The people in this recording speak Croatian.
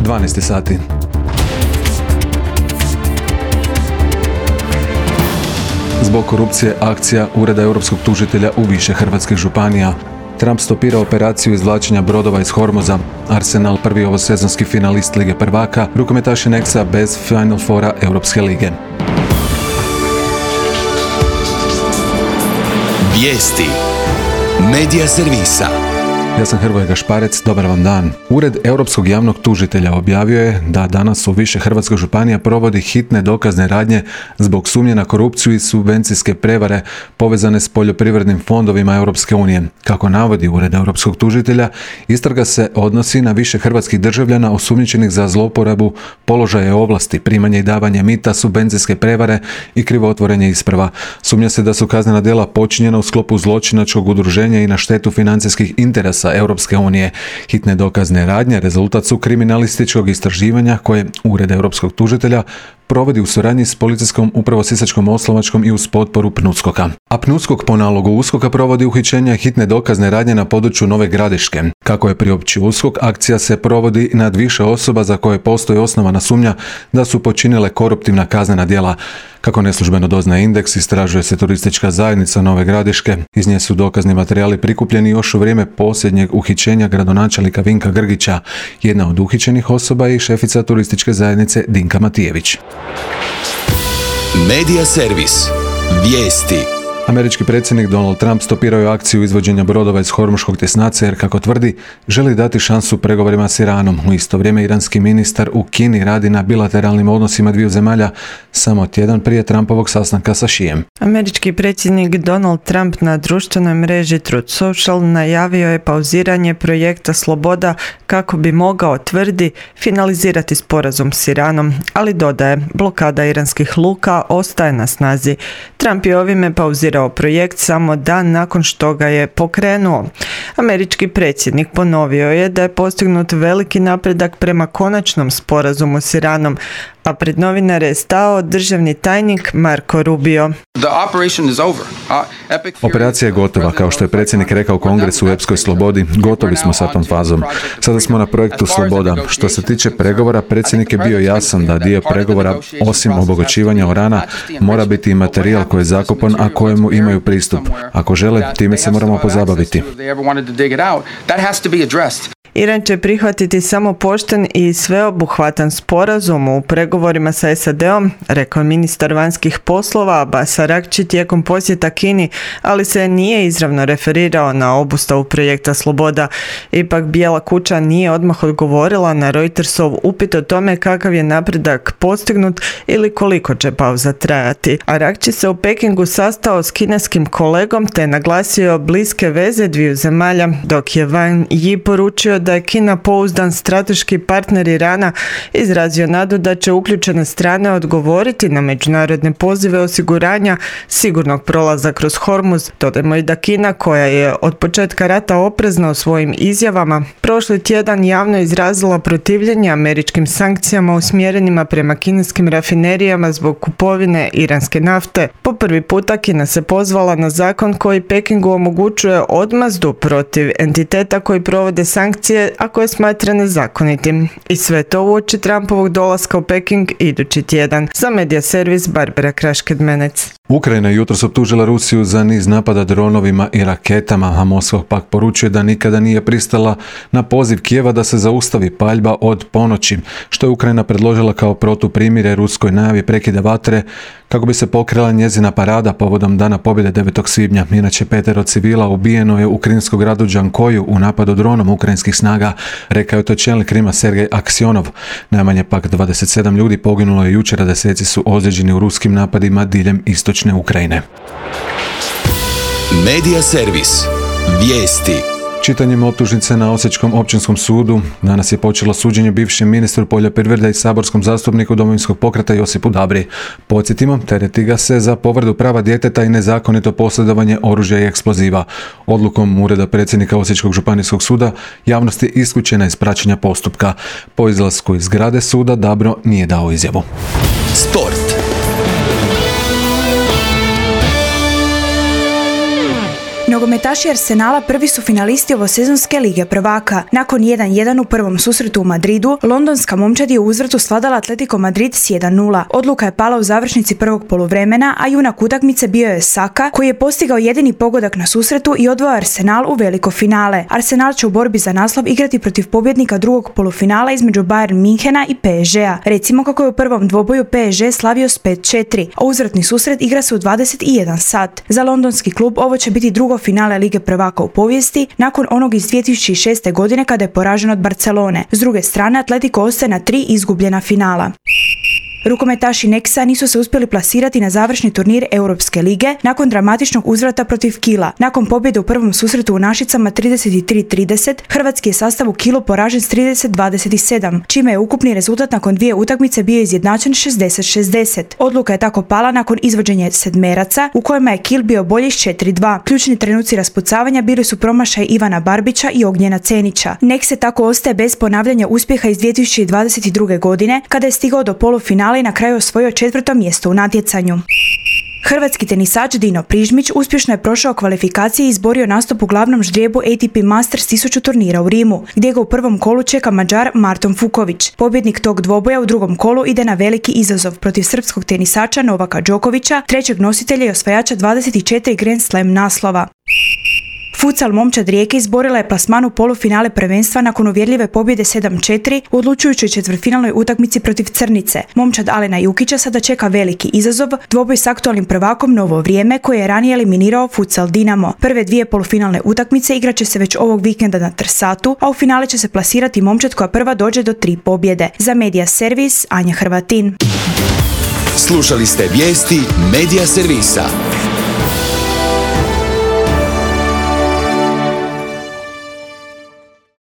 12 sati. Zbog korupcije akcija Ureda europskog tužitelja u više hrvatskih županija. Trump stopira operaciju izvlačenja brodova iz Hormuza. Arsenal prvi ovosezonski finalist Lige prvaka, rukometaši Nexa bez Final Fora Europske lige. Vijesti Medija servisa. Ja sam Hrvoje Gašparec, dobar vam dan. Ured Europskog javnog tužitelja objavio je da danas u više hrvatskih županija provodi hitne dokazne radnje zbog sumnje na korupciju i subvencijske prevare povezane s poljoprivrednim fondovima Europske unije. Kako navodi Ured Europskog tužitelja, istraga se odnosi na više hrvatskih državljana osumnjičenih za zlouporabu položaja i ovlasti, primanje i davanje mita, subvencijske prevare i krivotvorenje isprava. Sumnja se da su kaznena djela počinjena u sklopu zločinačkog udruženja i na štetu financijskih interesa Europske unije. Hitne dokazne radnje rezultat su kriminalističkog istraživanja koje Ured Europskog tužitelja provodi u suradnji s policijskom upravo Sisačko-moslavačkom i uz potporu PNUSKOK-a. A PNUSKOK po nalogu USKOK-a provodi uhićenja hitne dokazne radnje na području Nove Gradiške. Kako je priopćio USKOK, akcija se provodi nad više osoba za koje postoji osnovana sumnja da su počinile koruptivna kaznena djela. Kako neslužbeno doznaje Indeks, istražuje se turistička zajednica Nove Gradiške. Iz nje su dokazni materijali prikupljeni još u vrijeme posljednjeg uhićenja gradonačelnika Vinka Grgića. Jedna od uhićenih osoba je i šefica turističke zajednice Dinka Matijević. Medija servis. Vijesti. Američki predsjednik Donald Trump stopirao je akciju izvođenja brodova iz Hormuškog tjesnaca jer, kako tvrdi, želi dati šansu pregovorima s Iranom. U isto vrijeme iranski ministar u Kini radi na bilateralnim odnosima dviju zemalja samo tjedan prije Trumpovog sastanka sa Šijem. Američki predsjednik Donald Trump na društvenoj mreži Truth Social najavio je pauziranje projekta Sloboda kako bi mogao, tvrdi, finalizirati sporazum s Iranom, ali dodaje, blokada iranskih luka ostaje na snazi. Trump je ovime pauzirao projekt samo dan nakon što ga je pokrenuo. Američki predsjednik ponovio je da je postignut veliki napredak prema konačnom sporazumu s Iranom, a pred novinare je stao državni tajnik Marco Rubio. Operacija je gotova, kao što je predsjednik rekao Kongresu u epskoj slobodi, gotovi smo sa tom fazom. Sada smo na projektu Sloboda. Što se tiče pregovora, predsjednik je bio jasan da dio pregovora, osim obogaćivanja urana, mora biti i materijal koji je zakopan, a kojemu imaju pristup. Ako žele, time se moramo pozabaviti. Iran će prihvatiti samo pošten i sveobuhvatan sporazum u pregovorima sa SAD-om, rekao je ministar vanjskih poslova Abbas Araghči tijekom posjeta Kini, ali se nije izravno referirao na obustavu projekta Sloboda. Ipak Bijela kuća nije odmah odgovorila na Reutersov upit o tome kakav je napredak postignut ili koliko će pauza trajati. Araghči se u Pekingu sastao s kineskim kolegom te naglasio bliske veze dviju zemalja, dok je Wang Yi poručio da je Kina pouzdan strateški partner Irana, izrazio nadu da će uključene strane odgovoriti na međunarodne pozive osiguranja sigurnog prolaza kroz Hormuz. Dodajmo i da Kina, koja je od početka rata oprezna u svojim izjavama, prošli tjedan javno izrazila protivljenje američkim sankcijama usmjerenima prema kineskim rafinerijama zbog kupovine iranske nafte. Po prvi puta Kina se pozvala na zakon koji Pekingu omogućuje odmazdu protiv entiteta koji provode sankcije, a koje smatra nezakonitim. I sve to uoči Trumpovog dolaska u Peking idući tjedan. Za Medija servis Barbara Krašked-Menec. Ukrajina je jutros optužila Rusiju za niz napada dronovima i raketama, a Moskva pak poručuje da nikada nije pristala na poziv Kijeva da se zaustavi paljba od ponoći, što je Ukrajina predložila kao protuprimirje ruskoj najavi prekida vatre kako bi se pokrila njezina parada povodom Dana pobjede 9. svibnja. Inače, 5 civila ubijeno je u krimskom gradu Džankoju u napadu dronom ukrajinskih snaga, rekao je to čelnik Krima Sergej Aksionov. Najmanje pak 27 ljudi poginulo je jučer, a deseci su ozlijeđeni u ruskim napadima diljem istočne Ukrajine. Medija servis. Vijesti. Čitanjem optužnice na Osječkom općinskom sudu danas je počelo suđenje bivšem ministru poljoprivrede i saborskom zastupniku Domovinskog pokreta Josipu Dabri. Podsjetimo, tereti ga se za povredu prava djeteta i nezakonito posjedovanje oružja i eksploziva. Odlukom Ureda predsjednika Osječkog županijskog suda javnost je isključena iz praćenja postupka. Po izlasku iz zgrade suda Dabro nije dao izjavu. Sport. Nogometaši Arsenala prvi su finalisti ovosezonske Lige prvaka. Nakon 1-1 u prvom susretu u Madridu, londonska momčad je u uzvratu svladala Atletico Madrid s 1-0. Odluka je pala u završnici prvog poluvremena, a junak utakmice bio je Saka, koji je postigao jedini pogodak na susretu i odveo Arsenal u veliko finale. Arsenal će u borbi za naslov igrati protiv pobjednika drugog polufinala između Bayern Minhena i PSG-a. Recimo kako je u prvom dvoboju PSG slavio s 5-4, a uzvratni susret igra se u 21 sat. Za londonski klub ovo će biti drugo finale Lige prvaka u povijesti, nakon onog iz 2006. godine kada je poražen od Barcelone. S druge strane, Atletico ostaje na 3 izgubljena finala. Rukometaši Nexa nisu se uspjeli plasirati na završni turnir Europske lige nakon dramatičnog uzvrata protiv Kila. Nakon pobjede u prvom susretu u Našicama 33-30, hrvatski je sastav u Kilu poražen s 30-27, čime je ukupni rezultat nakon dvije utakmice bio izjednačen 60-60. Odluka je tako pala nakon izvođenja sedmeraca, u kojima je Kil bio bolji s 4-2. Ključni trenuci raspucavanja bili su promašaj Ivana Barbića i Ognjena Cenića. Nexe tako ostaje bez ponavljanja uspjeha iz 2022. godine, kada je stigao do polufinala i na kraju osvojio 4. mjesto u natjecanju. Hrvatski tenisač Dino Prižmić uspješno je prošao kvalifikacije i izborio nastup u glavnom ždrijebu ATP Masters 1000 turnira u Rimu, gdje ga u prvom kolu čeka Mađar Marton Fuković. Pobjednik tog dvoboja u drugom kolu ide na veliki izazov protiv srpskog tenisača Novaka Đokovića, trećeg nositelja i osvajača 24 Grand Slam naslova. Futsal momčad Rijeke izborila je plasman u polufinale prvenstva nakon uvjerljive pobjede 7-4 u odlučujućoj četvrtfinalnoj utakmici protiv Crnice. Momčad Alena Jukića sada čeka veliki izazov, dvoboj s aktualnim prvakom Novo Vrijeme, koji je ranije eliminirao Futsal Dinamo. Prve dvije polufinalne utakmice igraće se već ovog vikenda na Trsatu, a u finale će se plasirati momčad koja prva dođe do 3 pobjede. Za Medija Servis, Anja Hrvatin. Slušali ste vijesti Medija Servisa.